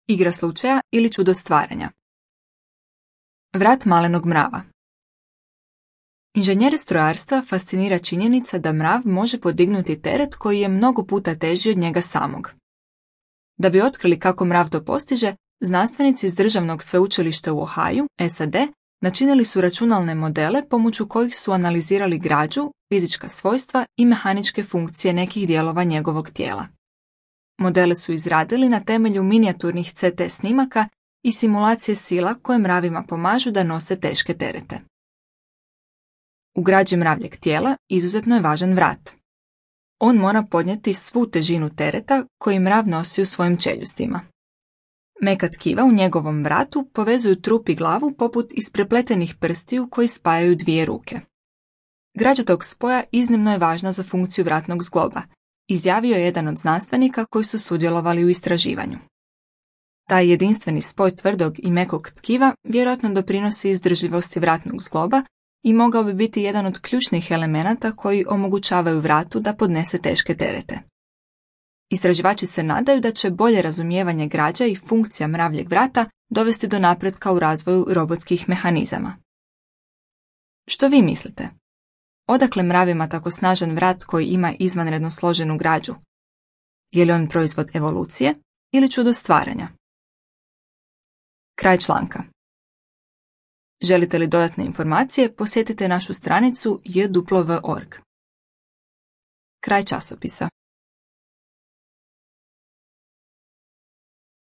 igra slučaja ili čudo stvaranja. Vrat malenog mrava. Inženjere strojarstva fascinira činjenica da mrav može podignuti teret koji je mnogo puta teži od njega samog. Da bi otkrili kako mrav to postiže, znanstvenici iz Državnog sveučilišta u Ohaju, SAD, načinili su računalne modele pomoću kojih su analizirali građu, fizička svojstva i mehaničke funkcije nekih dijelova njegovog tijela. Modele su izradili na temelju minijaturnih CT snimaka i simulacije sila koje mravima pomažu da nose teške terete. U građi mravljeg tijela izuzetno je važan vrat. On mora podnijeti svu težinu tereta koji mrav nosi u svojim čeljustima. Meka tkiva u njegovom vratu povezuju trup i glavu poput isprepletenih prstiju koji spajaju dvije ruke. Građa tog spoja iznimno je važna za funkciju vratnog zgloba, izjavio je jedan od znanstvenika koji su sudjelovali u istraživanju. Taj jedinstveni spoj tvrdog i mekog tkiva vjerojatno doprinosi izdržljivosti vratnog zgloba i mogao bi biti jedan od ključnih elemenata koji omogućavaju vratu da podnese teške terete. Istraživači se nadaju da će bolje razumijevanje građa i funkcija mravljeg vrata dovesti do napretka u razvoju robotskih mehanizama. Što vi mislite? Odakle mravima tako snažan vrat koji ima izvanredno složenu građu? Je li on proizvod evolucije ili čudo stvaranja? Kraj članka. Želite li dodatne informacije, posjetite našu stranicu jw.org. Kraj časopisa.